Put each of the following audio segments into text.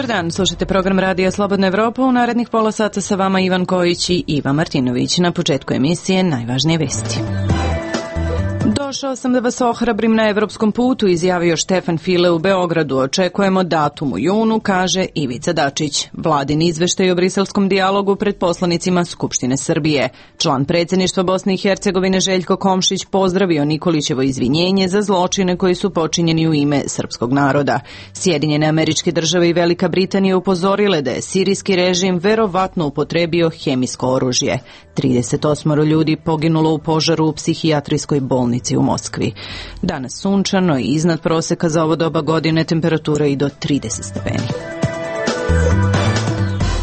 Dobar dan, slušajte program Radija Slobodna Evropa. U narednih pola sata sa vama Ivan Kojić i Iva Martinović. Na početku emisije najvažnije vesti. Došao sam da vas ohrabrim na evropskom putu, izjavio Štefan File u Beogradu. Očekujemo datum u junu, kaže Ivica Dačić. Vladin izveštaj o briselskom dijalogu pred poslanicima Skupštine Srbije. Član predsjedništva Bosne i Hercegovine Željko Komšić pozdravio Nikolićevo izvinjenje za zločine koji su počinjeni u ime srpskog naroda. Sjedinjene Američke Države i Velika Britanija upozorile da je sirijski režim verovatno upotrebio hemijsko oružje. 38 ljudi poginulo u požaru u psihijatrijskoj bolnici u Moskvi. Danas sunčano i iznad proseka za ovo doba godine, temperatura i do 30 stepeni.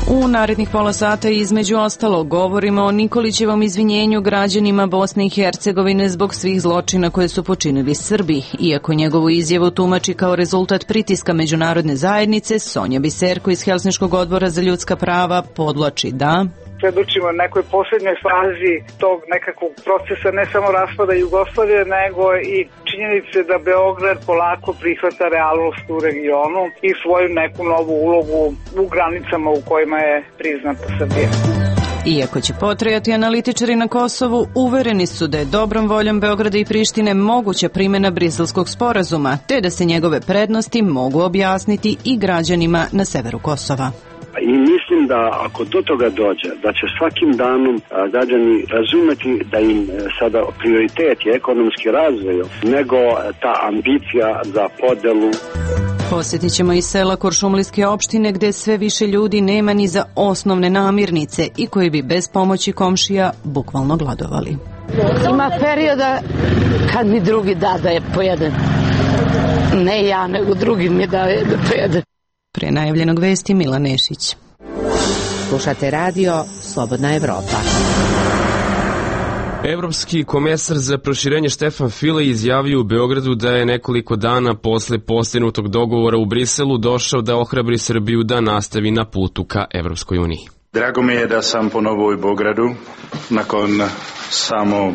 U narednih pola sata između ostalo govorimo o Nikolićevom izvinjenju građanima Bosne i Hercegovine zbog svih zločina koje su počinili Srbi. Iako njegovu izjavu tumači kao rezultat pritiska međunarodne zajednice, Sonja Biserko iz Helsinškog odbora za ljudska prava podvlači da svedočimo nekoj posljednjoj fazi tog nekakvog procesa, ne samo raspada Jugoslavije, nego i činjenice da Beograd polako prihvata realnost u regionu i svoju neku novu ulogu u granicama u kojima je priznata Srbija. Iako će potrajati, analitičari na Kosovu uvereni su da je dobrom voljom Beograda i Prištine moguća primjena Briselskog sporazuma, te da se njegove prednosti mogu objasniti i građanima na severu Kosova. I mislim da ako do toga dođe, da će svakim danom građani razumeti da im sada prioritet je ekonomski razvoj, nego ta ambicija za podelu. Posjetit ćemo i sela Kuršumlijske opštine gdje sve više ljudi nema ni za osnovne namirnice i koji bi bez pomoći komšija bukvalno gladovali. Ima perioda kad mi drugi da je pojedem. Ne ja, nego drugi mi daje da pojedem. Pre najavljenog vesti Mila Nešić. Slušate radio Slobodna Evropa. Evropski komesar za proširenje Štefan File izjavio u Beogradu da je nekoliko dana posle postignutog dogovora u Briselu došao da ohrabri Srbiju da nastavi na putu ka Evropskoj uniji. Drago mi je da sam ponovo u Beogradu nakon samo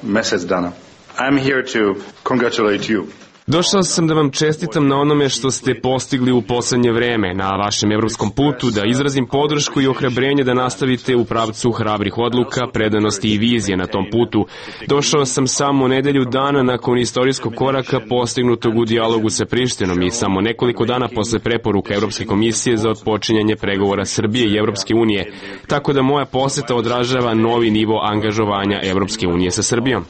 mjesec dana. I'm here to congratulate you. Došao sam da vam čestitam na onome što ste postigli u poslednje vreme na vašem evropskom putu, da izrazim podršku i ohrabrenje da nastavite u pravcu hrabrih odluka, predanosti i vizije na tom putu. Došao sam samo nedelju dana nakon istorijskog koraka postignutog u dijalogu sa Prištinom i samo nekoliko dana posle preporuka Evropske komisije za otpočinjanje pregovora Srbije i Evropske unije, tako da moja poseta odražava novi nivo angažovanja Evropske unije sa Srbijom.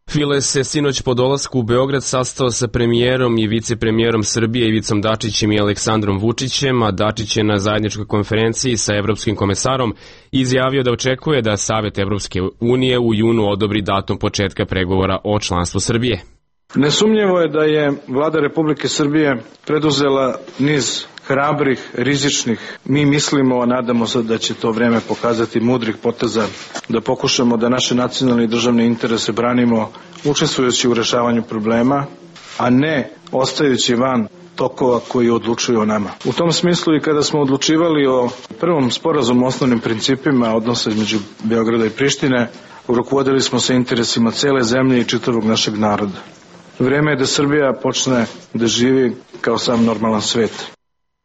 File se sinoć po dolasku u Beograd sastao sa premijerom i vicepremijerom Srbije Ivicom Dačićem i Aleksandrom Vučićem, a Dačić je na zajedničkoj konferenciji sa evropskim komesarom izjavio da očekuje da Savet Evropske unije u junu odobri datum početka pregovora o članstvu Srbije. Nesumnjivo je da je Vlada Republike Srbije preduzela niz hrabrih, rizičnih, mi mislimo, a nadamo se da će to vreme pokazati mudrih poteza, da pokušamo da naše nacionalne i državne interese branimo učestvujući u rešavanju problema, a ne ostajući van tokova koji odlučuju o nama. U tom smislu i kada smo odlučivali o prvom sporazumu o osnovnim principima odnosa između Beograda i Prištine, rukovodili smo se interesima cele zemlje i čitavog našeg naroda. Vreme je da Srbija počne da živi kao sam normalan svet.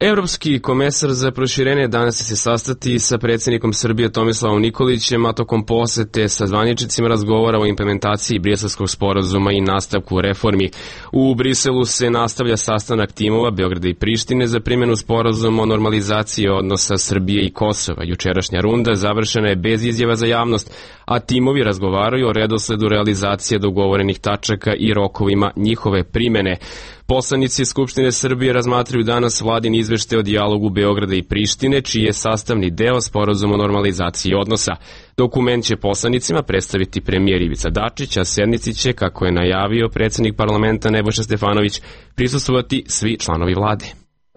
Evropski komesar za proširenje danas će se sastati sa predsjednikom Srbije Tomislavom Nikolićem, a tokom posete sa zvaničnicima razgovara o implementaciji Briselskog sporazuma i nastavku reformi. U Briselu se nastavlja sastanak timova Beograda i Prištine za primjenu sporazuma o normalizaciji odnosa Srbije i Kosova. Jučerašnja runda završena je bez izjava za javnost, a timovi razgovaraju o redosledu realizacije dogovorenih tačaka i rokovima njihove primjene. Poslanici Skupštine Srbije razmatraju danas vladin izveštaj o dijalogu Beograda i Prištine, čiji je sastavni deo sporazum o normalizaciji odnosa. Dokument će poslanicima predstaviti premijer Ivica Dačić, a sednici će, kako je najavio predsjednik parlamenta Nebojša Stefanović, prisustvovati svi članovi vlade.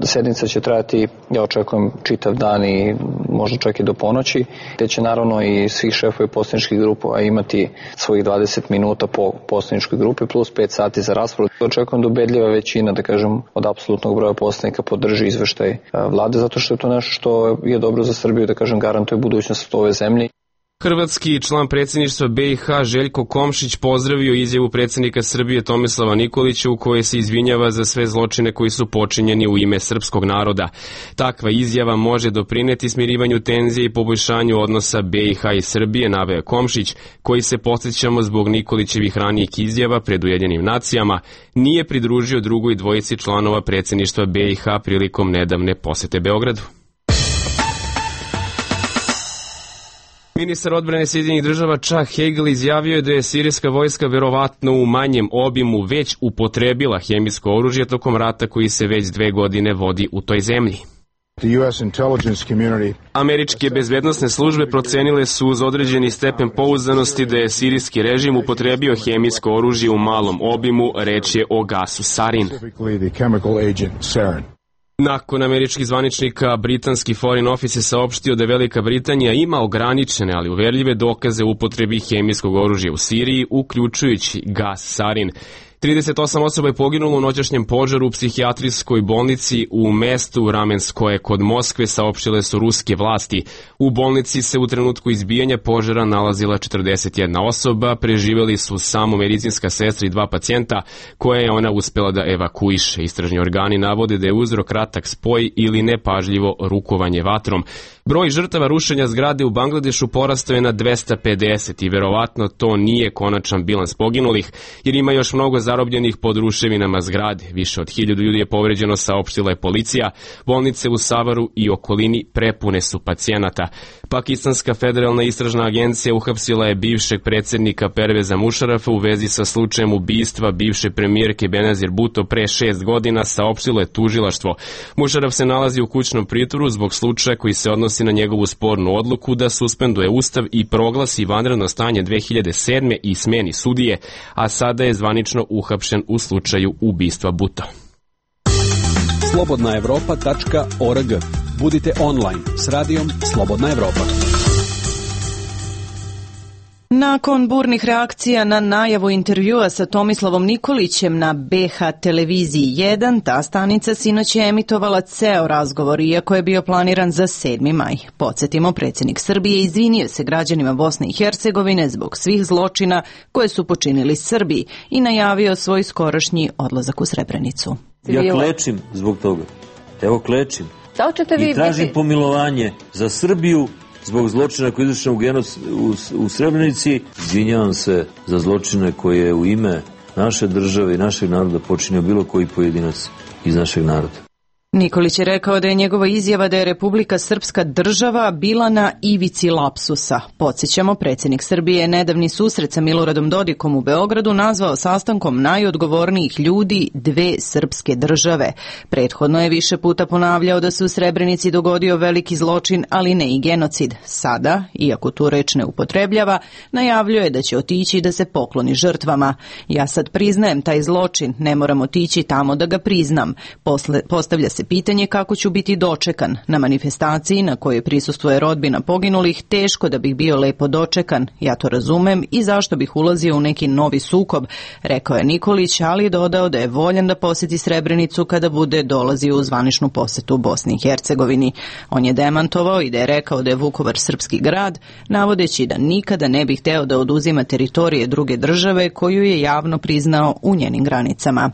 Sednica će trajati, ja očekujem, čitav dan i možda čak i do ponoći, te će naravno i svih šefovi poslaničkih grupa imati svojih 20 minuta po poslaničkoj grupi plus 5 sati za raspravu. Očekujem da ubedljiva većina, da kažem, od apsolutnog broja poslanika podrži izveštaj vlade, zato što je to nešto što je dobro za Srbiju, da kažem, garantuje budućnost ove zemlje. Hrvatski član predsjedništva BiH Željko Komšić pozdravio izjavu predsjednika Srbije Tomislava Nikolića u kojoj se izvinjava za sve zločine koji su počinjeni u ime srpskog naroda. Takva izjava može doprineti smirivanju tenzije i poboljšanju odnosa BiH i Srbije, naveo Komšić, koji se, podsjećamo, zbog Nikolićevih ranijih izjava pred Ujedinjenim nacijama nije pridružio drugoj dvojici članova predsjedništva BiH prilikom nedavne posete Beogradu. Ministar odbrane Sjedinjenih Država Chuck Hagel izjavio je da je sirijska vojska verovatno u manjem obimu već upotrebila hemijsko oružje tokom rata koji se već 2 godine vodi u toj zemlji. Američke bezbednosne službe procenile su uz određeni stepen pouzdanosti da je sirijski režim upotrebio hemijsko oružje u malom obimu, reč je o gasu sarin. Nakon američkih zvaničnika, britanski Foreign Office je saopštio da Velika Britanija ima ograničene, ali uverljive dokaze o upotrebi hemijskog oružja u Siriji, uključujući gas sarin. 38 osoba je poginulo u noćašnjem požaru u psihijatrijskoj bolnici u mestu Ramenskoje kod Moskve, saopštile su ruske vlasti. U bolnici se u trenutku izbijanja požara nalazila 41 osoba, preživjeli su samo medicinska sestra i 2 pacijenta koje je ona uspjela da evakuiše. Istražni organi navode da je uzrok kratak spoj ili nepažljivo rukovanje vatrom. Broj žrtava rušenja zgrade u Bangladešu porastao je na 250 i verovatno to nije konačan bilans poginulih, jer ima još mnogo zarobljenih pod ruševinama zgrade. Više od 1000 ljudi je povređeno, saopštila je policija. Bolnice u Savaru i okolini prepune su pacijenata. Pakistanska federalna istražna agencija uhapsila je bivšeg predsjednika Perveza Mušarafa u vezi sa slučajem ubistva bivše premijerke Benazir Bhutto pre 6 godina, saopštilo je tužilaštvo. Mušaraf se nalazi u kućnom pritvoru zbog slučaja koji se odnosi na njegovu spornu odluku da suspenduje ustav i proglasi vanredno stanje 2007. i smeni sudije, a sada je zvanično uhapšen u slučaju ubistva Bhutto. slobodnaevropa.org. Budite online s radijom Slobodna Evropa. Nakon burnih reakcija na najavu intervjua sa Tomislavom Nikolićem na BH televiziji 1, ta stanica sinoć je emitovala ceo razgovor, iako je bio planiran za 7. maj. Podsjetimo, predsjednik Srbije izvinio se građanima Bosne i Hercegovine zbog svih zločina koje su počinili Srbi i najavio svoj skorašnji odlazak u Srebrenicu. Ja klečim zbog toga. Evo klečim. I tražim pomilovanje za Srbiju zbog zločina koji je izvršen u Srebrenici. Izvinjavam se za zločine koje je u ime naše države i našeg naroda počinio bilo koji pojedinac iz našeg naroda. Nikolić je rekao da je njegova izjava da je Republika Srpska država bila na ivici lapsusa. Podsjećamo, predsjednik Srbije je nedavni susret sa Miloradom Dodikom u Beogradu nazvao sastankom najodgovornijih ljudi dve srpske države. Prethodno je više puta ponavljao da se u Srebrenici dogodio veliki zločin, ali ne i genocid. Sada, iako tu reč ne upotrebljava, najavljuje da će otići da se pokloni žrtvama. Ja sad priznajem taj zločin, ne moram otići tamo da ga priznam. Postavlja se pitanje kako ću biti dočekan. Na manifestaciji na kojoj prisustvuje rodbina poginulih, teško da bih bio lepo dočekan. Ja to razumem i zašto bih ulazio u neki novi sukob, rekao je Nikolić, ali dodao da je voljan da posjeti Srebrenicu kada bude dolazio u zvaničnu posetu u Bosni i Hercegovini. On je demantovao i da je rekao da je Vukovar srpski grad, navodeći da nikada ne bi hteo da oduzima teritorije druge države koju je javno priznao u njenim granicama.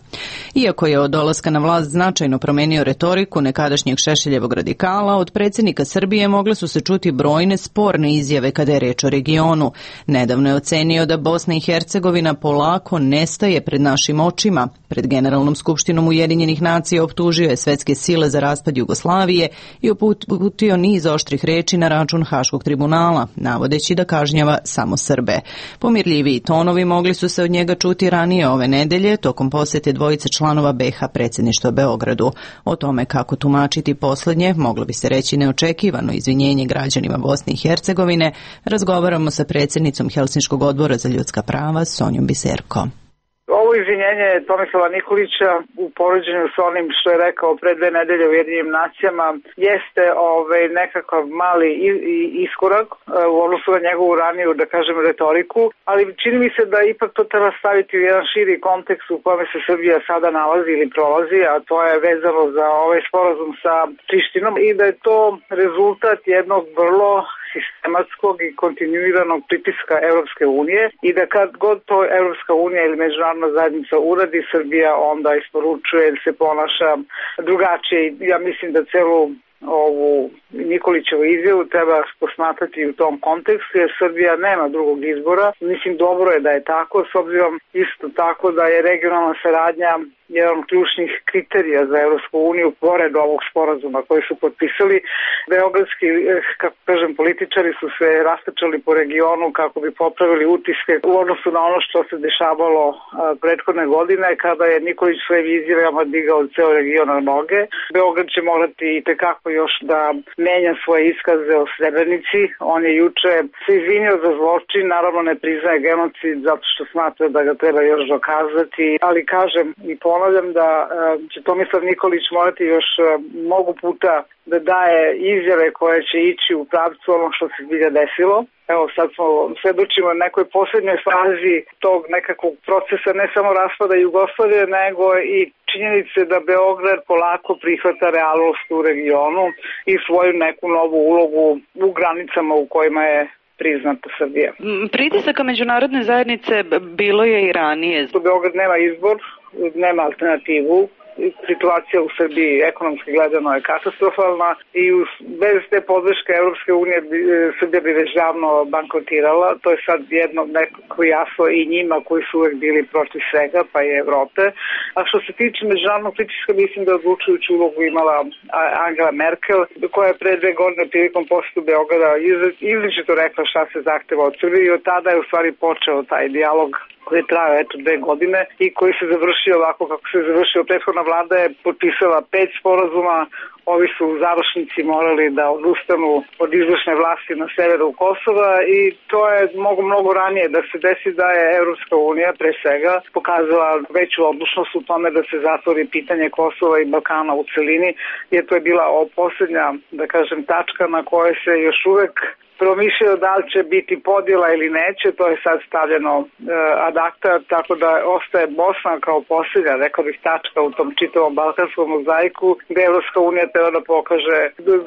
Iako je od dolaska na vlast značajno promenio retoriku nekadašnjeg Šešeljevog radikala, od predsjednika Srbije mogle su se čuti brojne sporne izjave kada je reč o regionu. Nedavno je ocenio da Bosna i Hercegovina polako nestaje pred našim očima. Pred Generalnom skupštinom Ujedinjenih nacija optužio je svetske sile za raspad Jugoslavije i uputio niz oštrih reči na račun Haškog tribunala, navodeći da kažnjava samo Srbe. Pomirljiviji tonovi mogli su se od njega čuti ranije ove nedelje tokom posjete dvojice članova BH predsjedništva Beogradu. O tome kako tumačiti posljednje, moglo bi se reći neočekivano izvinjenje građanima Bosne i Hercegovine, razgovaramo sa predsjednicom Helsinškog odbora za ljudska prava Sonjom Biserko. Ovo izvinjenje Tomislava Nikolića u poređenju sa onim što je rekao pre 2 nedelje u Ujedinjenim nacijama jeste nekakav mali iskorak u odnosu na njegovu raniju, da kažem, retoriku, ali čini mi se da ipak to treba staviti u jedan širi kontekst u kome se Srbija sada nalazi ili prolazi, a to je vezano za ovaj sporazum sa Prištinom i da je to rezultat jednog vrlo sistematskog i kontinuiranog pritiska Evropske unije i da kad god to Evropska unija ili međunarodna zajednica uradi, Srbija onda isporučuje ili se ponaša drugačije. Ja mislim da celu ovu Nikolićevu izjavu treba posmatrati u tom kontekstu, jer Srbija nema drugog izbora. Mislim, dobro je da je tako, s obzirom isto tako da je regionalna saradnja jedan od ključnih kriterija za Evropsku uniju, pored ovog sporazuma koji su potpisali. Beogradski, kako kažem, političari su se rastrčali po regionu kako bi popravili utiske u odnosu na ono što se dešavalo prethodne godine, kada je Nikolić svojim izjavama digao ceo region na noge. Beograd će morati i tekako još da menja svoje iskaze o Srebrenici. On je juče se izvinio za zločin, naravno ne priznaje genocid zato što smatra da ga treba još dokazati, ali kažem i ponavljam da će Tomislav Nikolić morati još mnogo puta da daje izjave koje će ići u pravcu ono što se zbilja desilo. Evo sad smo svedočimo nekoj poslednjoj fazi tog nekakvog procesa, ne samo raspada Jugoslavije, nego i činjenice da Beograd polako prihvata realnost u regionu i svoju neku novu ulogu u granicama u kojima je priznata Srbija. Pritisaka međunarodne zajednice bilo je i ranije. Beograd nema izbor, nema alternativu. Situacija u Srbiji ekonomski gledano je katastrofalna i bez te podrške Evropske unije Srbija bi već davno bankrotirala. To je sad jedno nekako jasno i njima koji su uvek bili protiv svega, pa i Evrope. A što se tiče međunarodnog pritiska, mislim da je odlučujuću ulogu imala Angela Merkel, koja je pre 2 godine prilikom posete Beograda izričito rekla šta se zahteva od Srbije i od tada je u stvari počeo taj dijalog koji je trajao 2 godine i koji se završio ovako kako se završio. Prethodna vlada je potpisala 5 sporazuma, ovi su u završnici morali da odustanu od izvršne vlasti na severu Kosova i to je mnogo ranije da se desi da je Evropska unija pre svega pokazala veću odlučnost u tome da se zatvori pitanje Kosova i Balkana u celini, jer to je bila poslednja, da kažem, tačka na kojoj se još uvek promišljaju da li će biti podjela ili neće, to je sad stavljeno ad acta, tako da ostaje Bosna kao posljednja, rekao bih, tačka u tom čitavom balkanskom mozaiku, gde Evropska unija treba da pokaže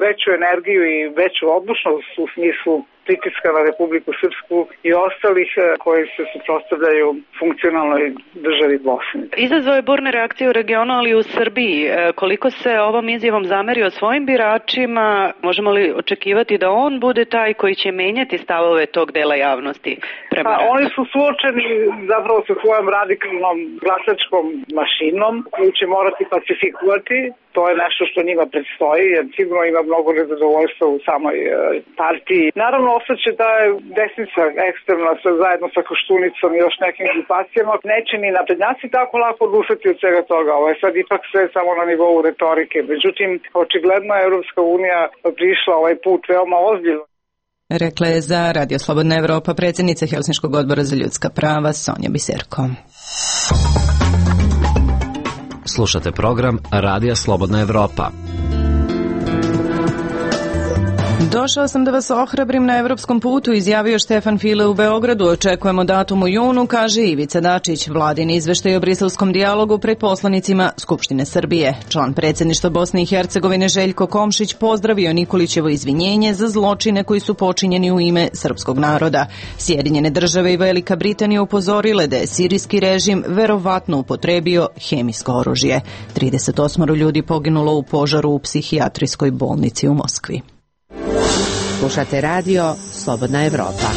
veću energiju i veću odlučnost u smislu pritiska na Republiku Srpsku i ostalih koji se suprotstavljaju funkcionalnoj državi Bosne. Izazvao je burne reakcije u regionu, ali i u Srbiji. Koliko se ovom izjavom zamerio svojim biračima, možemo li očekivati da on bude taj koji će menjati stavove tog dela javnosti prema ratu? Oni su suočeni zapravo sa svojom radikalnom glasačkom mašinom koju će morati pacifikovati. To je nešto što njima predstoji, jer sigurno ima mnogo nezadovoljstva u samoj partiji. Naravno, ostaće da je desnica ekstremna zajedno sa Koštunicom i još nekim grupacijama. Neće ni naprednjaci tako lako odustati od svega toga. Ovo je sad ipak sve samo na nivou retorike. Međutim, očigledno je Evropska unija prišla ovaj put veoma ozbiljno. Rekla je za Radio Slobodna Evropa predsjednica Helsinškog odbora za ljudska prava Sonja Biserko. Slušate program Radija Slobodna Evropa. Došao sam da vas ohrabrim na evropskom putu, izjavio Štefan File u Beogradu. Očekujemo datum u junu, kaže Ivica Dačić. Vladin izveštaj o briselskom dijalogu pred poslanicima Skupštine Srbije. Član predsjedništva Bosne i Hercegovine Željko Komšić pozdravio Nikolićevo izvinjenje za zločine koji su počinjeni u ime srpskog naroda. Sjedinjene države i Velika Britanija upozorile da je sirijski režim verovatno upotrebio hemijsko oružje. 38 ljudi poginulo u požaru u psihijatrijskoj bolnici u Moskvi. Slušate radio Slobodna Evropa.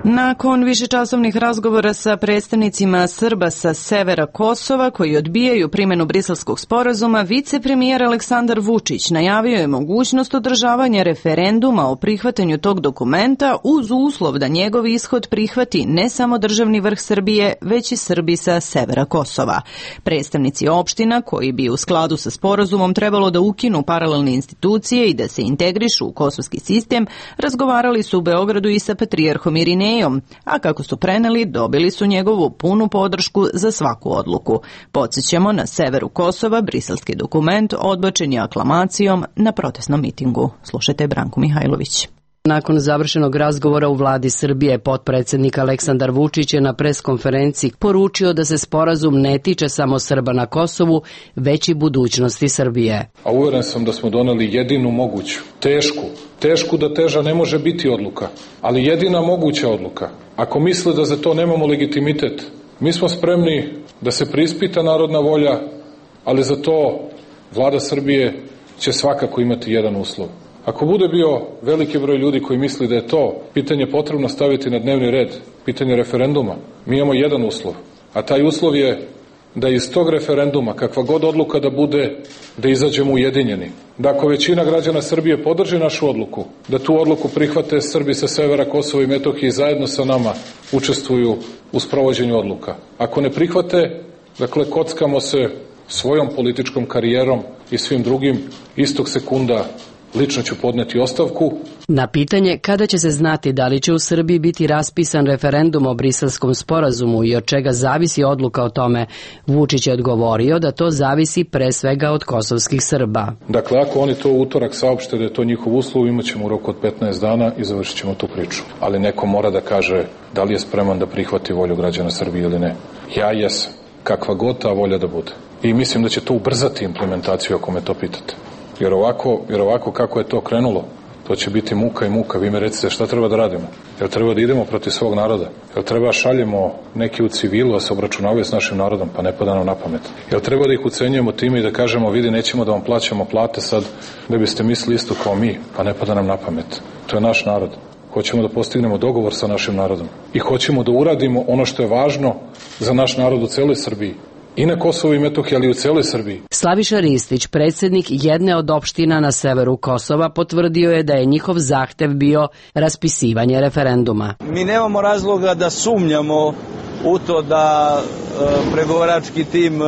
Nakon višečasovnih razgovora sa predstavnicima Srba sa severa Kosova koji odbijaju primjenu briselskog sporazuma, vicepremijer Aleksandar Vučić najavio je mogućnost održavanja referenduma o prihvatanju tog dokumenta uz uslov da njegov ishod prihvati ne samo državni vrh Srbije, već i Srbi sa severa Kosova. Predstavnici opština koji bi u skladu sa sporazumom trebalo da ukinu paralelne institucije i da se integrišu u kosovski sistem, razgovarali su u Beogradu i sa patrijarhom Irinejom, a kako su preneli, dobili su njegovu punu podršku za svaku odluku. Podsjećamo, na severu Kosova briselski dokument odbačen je aklamacijom na protestnom mitingu. Slušajte Branku Mihajlović. Nakon završenog razgovora u vladi Srbije, potpredsednik Aleksandar Vučić je na preskonferenciji poručio da se sporazum ne tiče samo Srba na Kosovu, već i budućnosti Srbije. A uveren sam da smo doneli jedinu moguću, tešku da teža ne može biti odluka, ali jedina moguća odluka. Ako misle da za to nemamo legitimitet, mi smo spremni da se preispita narodna volja, ali za to vlada Srbije će svakako imati jedan uslov. Ako bude bio veliki broj ljudi koji misli da je to pitanje potrebno staviti na dnevni red, pitanje referenduma, mi imamo jedan uslov, a taj uslov je da iz tog referenduma, kakva god odluka da bude, da izađemo ujedinjeni. Da ako većina građana Srbije podrži našu odluku, da tu odluku prihvate Srbi sa severa Kosova i Metohije i zajedno sa nama učestvuju u sprovođenju odluka. Ako ne prihvate, dakle, kockamo se svojom političkom karijerom i svim drugim, istog sekunda lično ću podneti ostavku. Na pitanje kada će se znati da li će u Srbiji biti raspisan referendum o Briselskom sporazumu i od čega zavisi odluka o tome, Vučić je odgovorio da to zavisi pre svega od kosovskih Srba. Dakle, ako oni to u utorak saopšte da je to njihov uslov, imat ćemo u roku od 15 dana i završit ćemo tu priču. Ali neko mora da kaže da li je spreman da prihvati volju građana Srbije ili ne. Ja jesam, kakva god ta volja da bude. I mislim da će to ubrzati implementaciju ako me to pitate. Jer ovako kako je to krenulo, to će biti muka i muka. Vi me recite šta treba da radimo? Jel treba da idemo protiv svog naroda? Jel treba šaljemo neki u civilu da se obračunavaju s našim narodom? Pa ne pada nam na pamet. Jel treba da ih ucenjujemo time i da kažemo vidi nećemo da vam plaćamo plate sad da biste mislili isto kao mi? Pa ne pada nam na pamet. To je naš narod. Hoćemo da postignemo dogovor sa našim narodom. I hoćemo da uradimo ono što je važno za naš narod u celoj Srbiji. I na Kosovu i Metohiji, ali i u celoj Srbiji. Slaviša Ristić, predsjednik jedne od opština na severu Kosova, potvrdio je da je njihov zahtev bio raspisivanje referenduma. Mi nemamo razloga da sumnjamo u to da pregovarački tim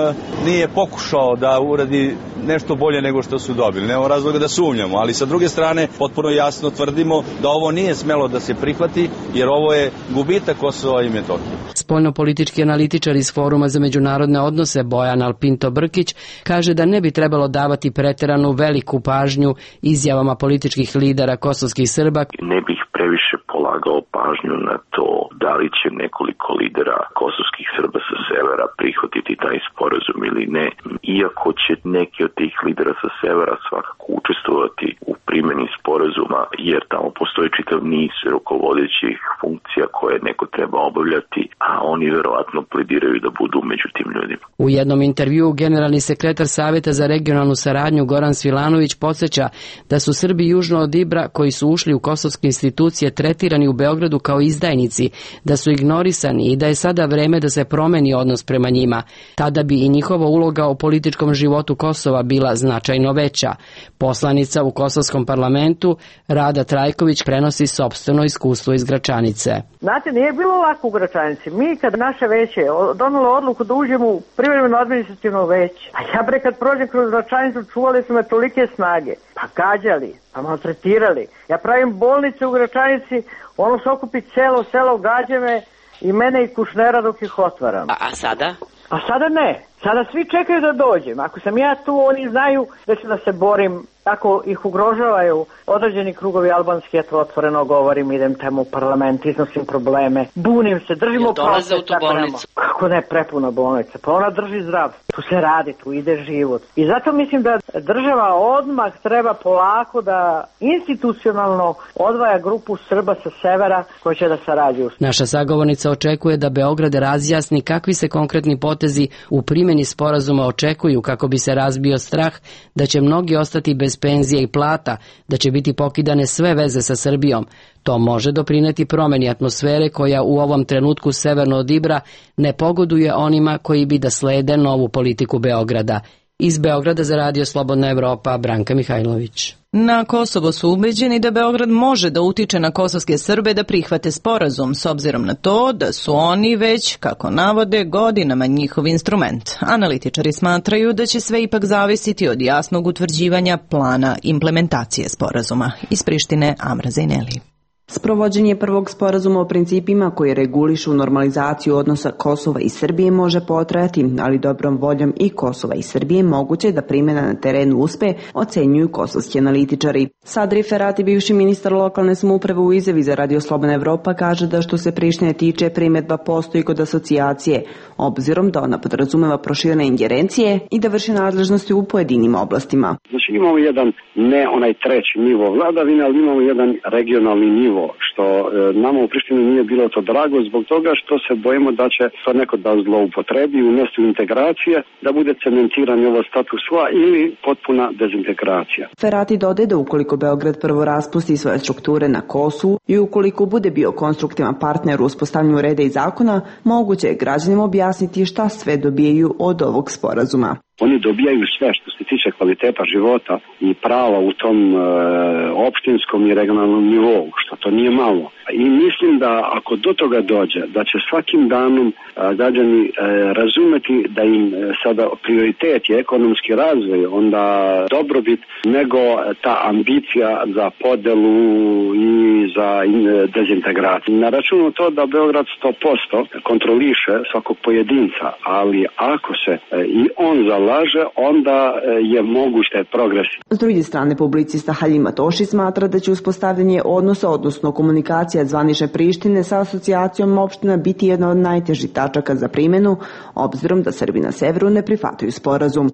nije pokušao da uradi nešto bolje nego što su dobili. Nemamo razloga da sumnjamo, ali sa druge strane potpuno jasno tvrdimo da ovo nije smelo da se prihvati, jer ovo je gubitak Kosova i Metohije. Spoljnopolitički analitičar iz Foruma za međunarodne odnose Bojan Alpinto Brkić kaže da ne bi trebalo davati preteranu veliku pažnju izjavama političkih lidera kosovskih Srba. Ne bih previše polagao pažnju na to da li će nekoliko lidera kosovskih Srba sa severa prihvatiti taj sporazum ili ne, iako će neki od tih lidera sa severa svakako učestvovati u primjeni sporazuma, jer tamo postoji čitav niz rukovodećih funkcija koje neko treba obavljati, a oni verovatno plediraju da budu među tim ljudima. U jednom intervjuu generalni sekretar Saveta za regionalnu saradnju Goran Svilanović podsjeća da su Srbi južno od Ibra koji su ušli u kosovske institucije tretirani u Beogradu kao izdajnici, da su ignorisani i da je sada vreme da se promeni odnos prema njima. Tada bi i njihova uloga u političkom životu Kosova bila značajno veća. Poslanica u kosovskom parlamentu Rada Trajković prenosi sopstveno iskustvo iz Gračanice. Znate, nije bilo lako u Gračanici. Mi kad naše veće donelo odluku da uđemo u privremeno administrativno veće, a ja kad prođem kroz Gračanicu čuvali su me tolike snage. Pa gađali, pa maltretirali. Ja pravim bolnice u Gračanici, ono se okupi celo selo, gađe me i mene i Kušnera dok ih otvaram. A sada? A sada ne. Sada svi čekaju da dođem. Ako sam ja tu, oni znaju da ću da se borim. Ako ih ugrožavaju određeni krugovi albanski, ja to otvoreno govorim, idem tamo u parlament, iznosim probleme, bunim se, držimo dolaze u tu bolnicu. Kako ne, prepuna bolnica, pa ona drži zdrav. Tu se radi, tu ide život. I zato mislim da država odmah treba polako da institucionalno odvaja grupu Srba sa severa koji će da sarađuju. Naša sagovornica očekuje da Beograd razjasni kakvi se konkretni potezi u primjeni sporazuma očekuju kako bi se razbio strah da će mnogi ostati bez penzije i plata, da će biti pokidane sve veze sa Srbijom. To može doprineti promeni atmosfere koja u ovom trenutku severno od Ibra ne pogoduje onima koji bi da slede novu politiku Beograda. Iz Beograda za Radio Slobodna Evropa, Branka Mihajlović. Na Kosovo su ubeđeni da Beograd može da utiče na kosovske Srbe da prihvate sporazum, s obzirom na to da su oni već, kako navode, godinama njihov instrument. Analitičari smatraju da će sve ipak zavisiti od jasnog utvrđivanja plana implementacije sporazuma. Iz Prištine, Amra Zejneli. Sprovođenje prvog sporazuma o principima koji regulišu normalizaciju odnosa Kosova i Srbije može potrajati, ali dobrom voljom i Kosova i Srbije moguće da primjena na terenu uspe, ocenjuju kosovski analitičari. Sadri Ferati, bivši ministar lokalne samouprave, u izjavi za Radio Slobodna Evropa kaže da što se Prištine tiče, primjedba postoji kod asocijacije, obzirom da ona podrazumeva proširene ingerencije i da vrši nadležnosti u pojedinim oblastima. Znači imamo jedan, ne onaj treći nivo vladavine, ali imamo jedan regionalni nivo, što nama u Prištini nije bilo to drago zbog toga što se bojimo da će to neko da zloupotrebi, unesti integracije, da bude cementiranje ovo status quo ili potpuna dezintegracija. Ferati dodaje da ukoliko Beograd prvo raspusti svoje strukture na Kosovu i ukoliko bude bio konstruktivan partner u uspostavljanju reda i zakona, moguće je građanima objasniti šta sve dobijaju od ovog sporazuma. Oni dobijaju sve što se tiče kvaliteta života i prava u tom opštinskom i regionalnom nivou, što to nije malo. I mislim da ako do toga dođe, da će svakim danom građani razumeti da im sada prioritet je ekonomski razvoj, onda dobrobit, nego ta ambicija za podelu i za dezintegraciju. Na računu to da Beograd 100% kontroliše svakog pojedinca, ali ako se i on zalaže, onda je moguće progres. S druge strane, publicista Haljim Matoši smatra da će uspostavljanje odnosa, odnosno komunikacija zvanične Prištine sa asocijacijom opština biti jedna od najtežih tačaka za primjenu, obzirom da Srbi na severu ne prihvataju sporazum.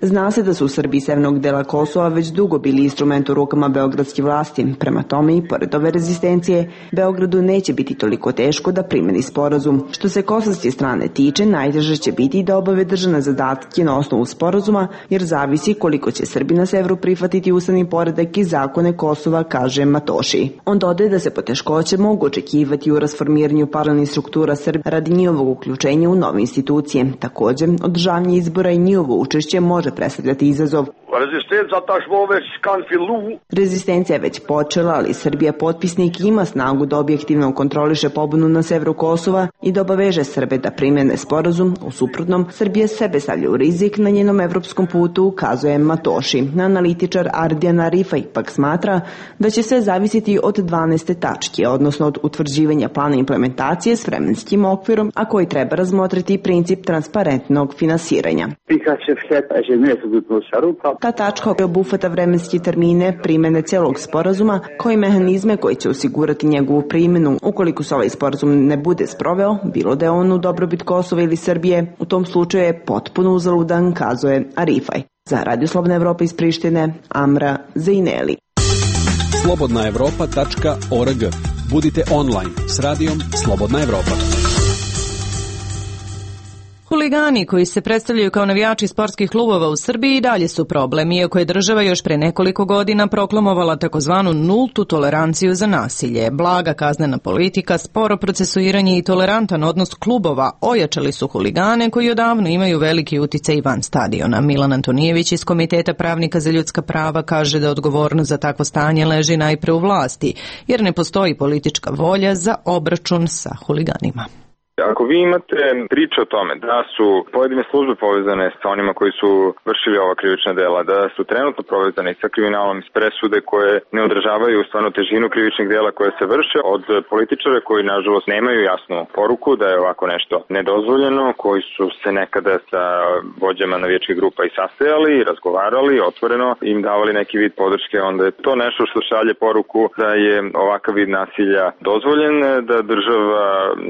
Zna se da su Srbi severnog dela Kosova već dugo bili instrument u rukama beogradske vlasti. Prema tome, i pored ove rezistencije, Beogradu neće biti toliko teško da primjeni sporazum. Što se kosovske strane tiče, najteže će biti da obave državne zadatke na osnovu sporazuma, jer zavisi koliko će Srbi na severu prihvatiti ustavni poredak i zakone Kosova, kaže Matoši. On dodaje da se poteškoće mogu očekivati u rasformiranju paralelnih struktura Srba radi njihovog uključenja u nove institucije. Također, održavanje izbora i njihovo učešće može predstavljati izazov. Rezistencija je već počela, ali Srbija potpisnik ima snagu da objektivno kontroliše pobunu na severu Kosova i da obaveže Srbe da primjene sporazum. U suprotnom, Srbija sebe stavlja u rizik na njenom evropskom putu, ukazuje Matoši. Analitičar Ardijan Arifaj pak smatra da će sve zavisiti od 12. tačke, odnosno od utvrđivanja plana implementacije s vremenskim okvirom, a koji treba razmotriti princip transparentnog finansiranja. Ta tačka obuhvata vremenski termine primjene celog sporazuma, koji mehanizme koji će osigurati njegovu primjenu. Ukoliko se ovaj sporazum ne bude sproveo, bilo da je on u dobrobit Kosova ili Srbije, u tom slučaju je potpuno uzaludan, kazuje Arifaj. Za Radio Slobodna Evropa iz Prištine, Amra Zejneli. slobodnaevropa.org. Budite online s radijom Slobodna Evropa. Huligani koji se predstavljaju kao navijači sportskih klubova u Srbiji i dalje su problem, iako je država još pre nekoliko godina proklamovala takozvanu nultu toleranciju za nasilje. Blaga kaznena politika, sporo procesuiranje i tolerantan odnos klubova ojačali su huligane koji odavno imaju veliki uticaj van stadiona. Milan Antonijević iz Komiteta pravnika za ljudska prava kaže da odgovornost za takvo stanje leži najpre u vlasti, jer ne postoji politička volja za obračun sa huliganima. Ako vi imate priče o tome da su pojedine službe povezane sa onima koji su vršili ova krivična dela, da su trenutno povezane sa kriminalom iz presude koje ne odražavaju stvarno težinu krivičnih dela koje se vrše od političara koji nažalost nemaju jasnu poruku da je ovako nešto nedozvoljeno, koji su se nekada sa vođama navijačkih grupa i sastajali i razgovarali, otvoreno im davali neki vid podrške, onda je to nešto što šalje poruku da je ovakav vid nasilja dozvoljen, da država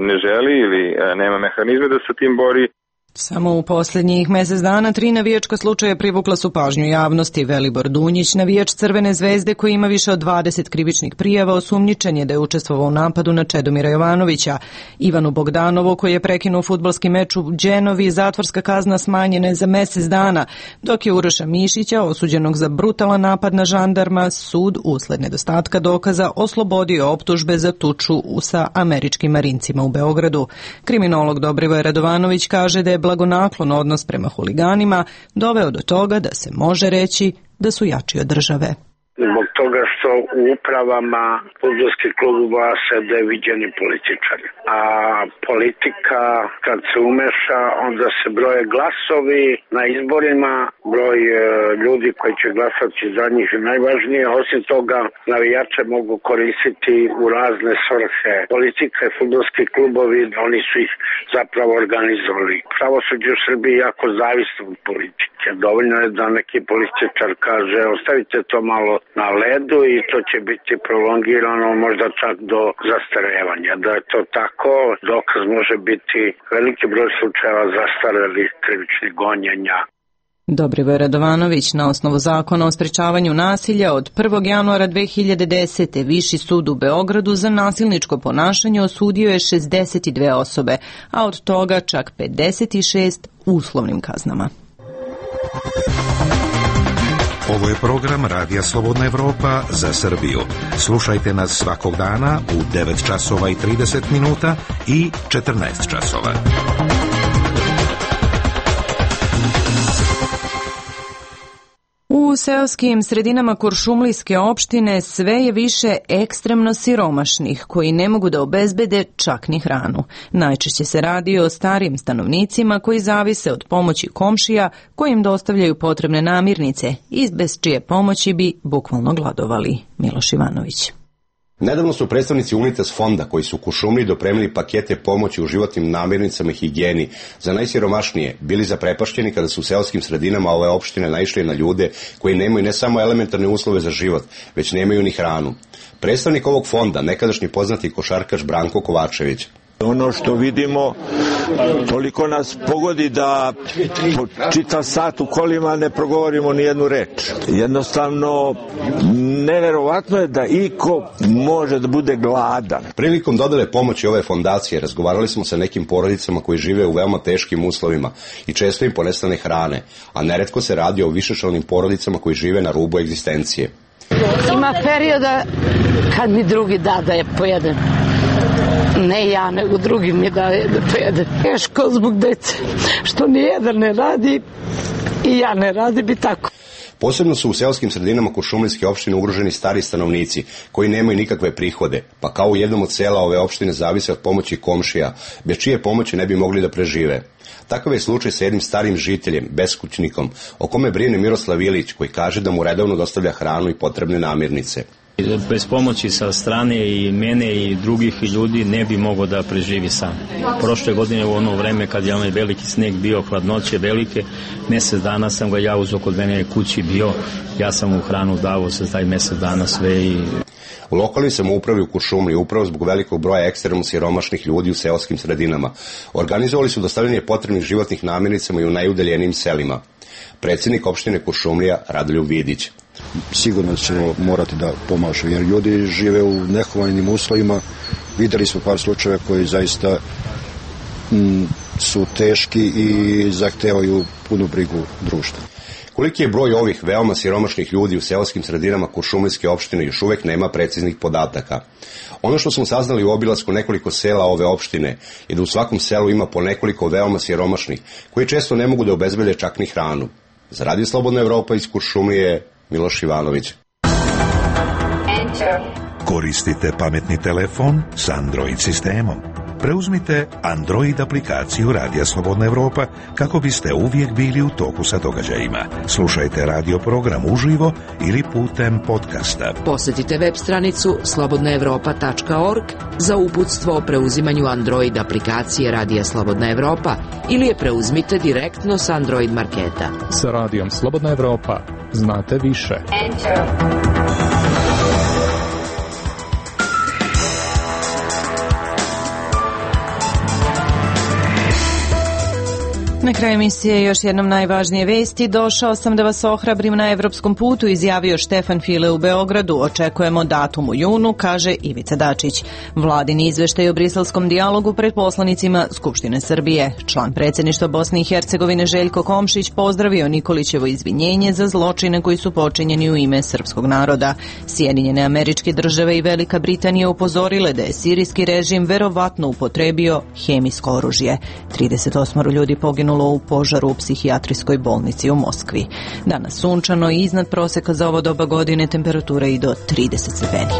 ne želi ili nema mehanizme da se tim bori. Samo u posljednjih mjesec dana 3 navijačka slučaja privukla su pažnju javnosti. Velibor Dunjić, navijač Crvene zvezde koji ima više od 20 krivičnih prijava, osumnjičen je da je učestvovao u napadu na Čedomira Jovanovića. Ivanu Bogdanovu koji je prekinuo fudbalski meč u Đenovi, zatvorska kazna smanjena je za mjesec dana, dok je Uroša Mišića, osuđenog za brutalan napad na žandarma, sud usled nedostatka dokaza oslobodio optužbe za tuču sa američkim marincima u Beogradu. Kriminolog Dobrivoje Radovanović kaže da je blagonaklon odnos prema huliganima doveo do toga da se može reći da su jači od države. Zbog toga što u upravama fudbalskih klubova sede viđeni političari. A politika kad se umeša, onda se broje glasovi na izborima, broj ljudi koji će glasati za njih je najvažnije. Osim toga, navijače mogu koristiti u razne svrhe. Politika i fudbalski klubovi, oni su ih zapravo organizovali. Pravosuđe u Srbiji jako zavisno od politike. Dovoljno je da neki političar kaže ostavite to malo na ledu i to će biti prolongirano možda čak do zastarevanja. Da je to tako, dokaz može biti veliki broj slučajeva zastarelih krivičnih gonjenja. Dobrivoj Radovanović, na osnovu zakona o sprečavanju nasilja od 1. januara 2010. Viši sud u Beogradu za nasilničko ponašanje osudio je 62 osobe, a od toga čak 56 uslovnim kaznama. Ovo je program Radija Slobodna Evropa za Srbiju. Slušajte nas svakog dana u 9 časova i 30 minuta i 14 časova. U seoskim sredinama Kuršumlijske opštine sve je više ekstremno siromašnih koji ne mogu da obezbede čak ni hranu. Najčešće se radi o starim stanovnicima koji zavise od pomoći komšija koji im dostavljaju potrebne namirnice i bez čije pomoći bi bukvalno gladovali. Miloš Ivanović. Nedavno su predstavnici Unitas fonda koji su u Kuršumliji dopremili pakete pomoći u životnim namirnicama i higijeni za najsiromašnije bili zaprepašćeni kada su u seoskim sredinama ove opštine naišli na ljude koji nemaju ne samo elementarne uslove za život, već nemaju ni hranu. Predstavnik ovog fonda, nekadašnji poznati košarkaš Branko Kovačević. Ono što vidimo, toliko nas pogodi da po čitav sat u kolima ne progovorimo ni jednu reč. Jednostavno, neverovatno je da iko može da bude gladan. Prilikom dodele pomoći ove fondacije razgovarali smo sa nekim porodicama koji žive u veoma teškim uslovima i često im ponestane hrane, a neretko se radi o višečlanim porodicama koji žive na rubu egzistencije. Ima perioda kad mi drugi da je pojedem. Ne ja, nego drugi mi daje da pojede. Teško zbog dece, što nijedan ne radi i ja ne radi bi tako. Posebno su u seoskim sredinama Kuršumlijske opštine ugroženi stari stanovnici koji nemaju nikakve prihode, pa kao u jednom od sela ove opštine zavise od pomoći komšija, bez čije pomoći ne bi mogli da prežive. Takav je slučaj sa jednim starim žiteljem, beskućnikom, o kome brine Miroslav Ilić, koji kaže da mu redovno dostavlja hranu i potrebne namirnice. Bez pomoći sa strane i mene i drugih ljudi ne bi mogao da preživi sam. Prošle godine u ono vreme kad je onaj veliki sneg bio, hladnoće velike, mjesec dana sam ga ja uzeo kod mene kući bio, ja sam mu hranu dao za taj mjesec dana sve i... U lokalnoj samoupravi u Kuršumliji, upravo zbog velikog broja ekstremno siromašnih ljudi u seoskim sredinama, organizovali su dostavljanje potrebnih životnih namirnicama i u najudaljenijim selima. Predsjednik opštine Kuršumlija Radoljub Vidić. Sigurno ćemo morati da pomažu, jer ljudi žive u nehumanim uslovima. Videli smo par slučajeva koji zaista su teški i zahtevaju punu brigu društva. Koliki je broj ovih veoma siromašnih ljudi u seoskim sredinama Kuršumlijske opštine još uvek nema preciznih podataka. Ono što smo saznali u obilasku nekoliko sela ove opštine je da u svakom selu ima po nekoliko veoma siromašnih koji često ne mogu da obezbede čak ni hranu. Za Radio Slobodna Evropa iz Kuršumlije, Miloš Ivanović. Koristite pametni telefon s Android sistemom. Preuzmite Android aplikaciju Radija Slobodna Evropa kako biste uvijek bili u toku sa događajima. Slušajte radio program uživo ili putem podcasta. Posjetite web stranicu slobodnaevropa.org za uputstvo o preuzimanju Android aplikacije Radija Slobodna Evropa ili je preuzmite direktno s Android marketa. Sa Radijom Slobodna Evropa znate više. Na kraju emisije još jednom najvažnije vesti. Došao sam da vas ohrabrim na evropskom putu, izjavio Štefan File u Beogradu. Očekujemo datum u junu, kaže Ivica Dačić. Vladin izveštaj o briselskom dijalogu pred poslanicima Skupštine Srbije. Član predsjedništva Bosne i Hercegovine Željko Komšić pozdravio Nikolićevo izvinjenje za zločine koji su počinjeni u ime srpskog naroda. Sjedinjene Američke Države i Velika Britanija upozorile da je sirijski režim verovatno upotrebio hemijsko oružje. 38 ljudi poginulo u požaru u psihijatrijskoj bolnici u Moskvi. Danas sunčano i iznad proseka za ovo doba godine, temperatura i do 30 stepeni.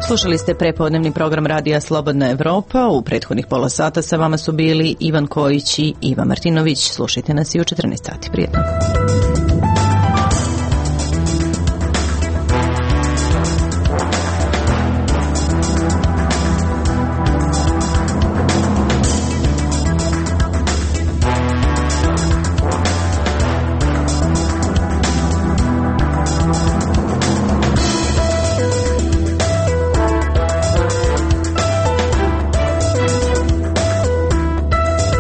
Slušali ste prepodnevni program Radija Slobodna Evropa. U prethodnih pola sata sa vama su bili Ivan Kojić i Iva Martinović. Slušajte nas i u 14 sati. Prijetno.